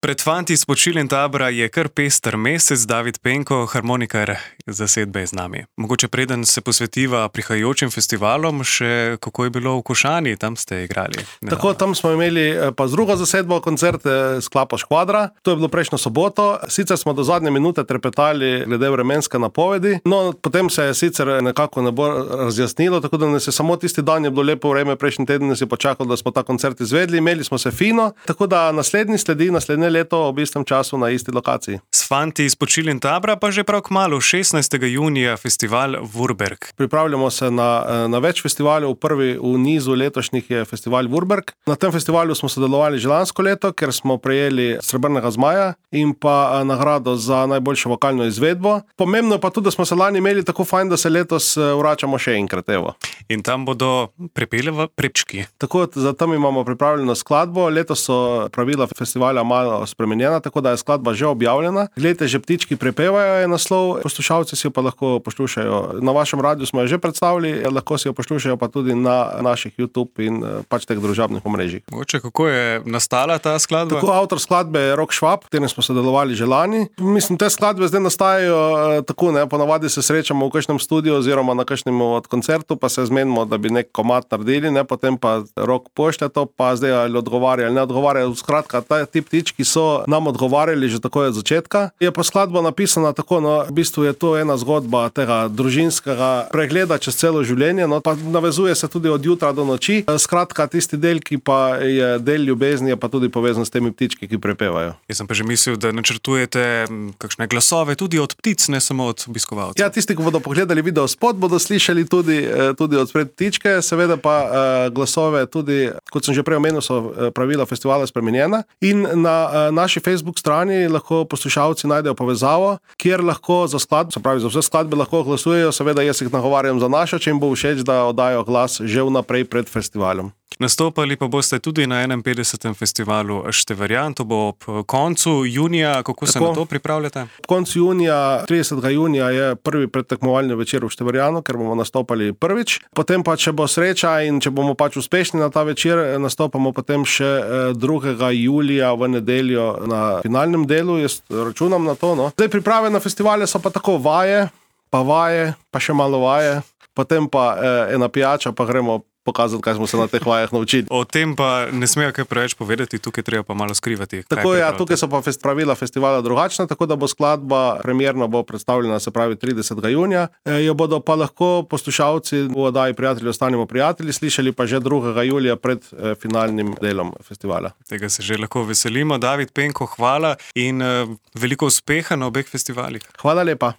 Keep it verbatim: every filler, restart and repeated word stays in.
Pred fanti iz Počil in Tabora je kar pester mesec. David Penko, harmonikar zasedbe, je z nami. Mogoče preden se posvetiva prihajajočim festivalom, še kako je bilo v Košani, tam ste igrali. Nedavno. Tako, tam smo imeli pa z drugo zasedbo koncert Sklapa Škvadra. To je bilo prejšnjo soboto. Sicer smo do zadnje minute trepetali glede vremenske napovedi, no potem se je sicer nekako ne bo razjasnilo, tako da nas je samo tisti dan je bilo lepo vreme, prejšnji teden nas je počakalo, da smo ta koncert izvedli, imeli smo se fino, tako da naslednji sledi naslednje leto ob istem času na isti lokaciji. S fanti iz Počil in Tabora pa že prav kmalu, šestnajstega junija, festival Vurberg. Pripravljamo se na, na več festivalov. Prvi v nizu letošnjih je festival Vurberg. Na tem festivalu smo sodelovali že lansko leto, ker smo prejeli Srebrnega zmaja in pa nagrado za najboljšo vokalno izvedbo. Pomembno je pa tudi, da smo se lani imeli tako fajn, da se letos vračamo še enkrat, evo. In tam bodo prepeli v Prečki. Tako, za tam imamo pripravljeno skladbo. Letos so pravila festivala malo spremenjena, tako da je skladba že objavljena. Glejte, že ptički prepevajo je naslov, poslušalci si jo pa lahko poslušajo. Na vašem radiju smo jo že predstavili, lahko si jo poslušajo pa tudi na naših YouTube in pač teh družabnih omrežjih. Mogoče, kako je nastala ta skladba? Tako, avtor skladbe je Rok Švab, v katerem smo sodelovali že lani. Mislim, te skladbe zdaj nastajajo tako, ne, ponavadi se srečamo v kakšnem studiu oziroma na kakšnem od koncertu, pa se zmenimo, da bi nek komad naredili, ne, potem pa Rok pošlje to, pa zdaj ali odgovarja ali ne odgovarja. Skratka, ti ptički so nam odgovarjali že tako od začetka. Je pa skladba napisana tako, no, v bistvu je to ena zgodba tega družinskega pregleda čez celo življenje, no, pa navezuje se tudi od jutra do noči. Skratka, tisti del, ki pa je del ljubezni, je pa tudi povezan s temi ptički, ki prepevajo. Jaz sem pa že mislil, da načrtujete kakšne glasove tudi od ptic, ne samo od obiskovalcev. Ja, tisti, ki bodo pogledali video spot, bodo slišali tudi, tudi od spred ptičke, seveda pa glasove tudi, kot sem že prej omenil, so pravila festivala spremenjena in na naši Facebook strani lahko poslušalci najdejo povezavo, kjer lahko za skladbo, se pravi za vse skladbe lahko glasujejo, seveda jaz jih nagovarjam za našo, če jim bo všeč, da oddajo glas že vnaprej pred festivalom. Nastopali pa boste tudi na enainpetdesetem festivalu Števerjan, to bo ob koncu junija. Kako se na to pripravljate? Ob koncu junija, tridesetega junija je prvi predtekmovalni večer v Števerjanu, ker bomo nastopali prvič. Potem pa, če bo sreča in če bomo pač uspešni na ta večer, nastopamo potem še drugega julija v nedeljo na finalnem delu. Jaz računam na to, no. Zdaj priprave na festivale so pa tako vaje, pa vaje, pa še malo vaje, potem pa eh, ena pijača, pa gremo pokazati, kaj smo se na teh vajah naučili. O tem pa ne smejo kaj preveč povedati, tukaj treba pa malo skrivati. Tako ja, tukaj so pa pravila festivala drugačna, tako da bo skladba premierno bo predstavljena, se pravi tridesetega junija. E, jo bodo pa lahko poslušalci v oddaji Prijatelji ostanimo prijatelji slišali pa že drugega julija pred e, finalnim delom festivala. Tega se že lahko veselimo. David Penko, hvala in e, veliko uspeha na obeh festivalih. Hvala lepa.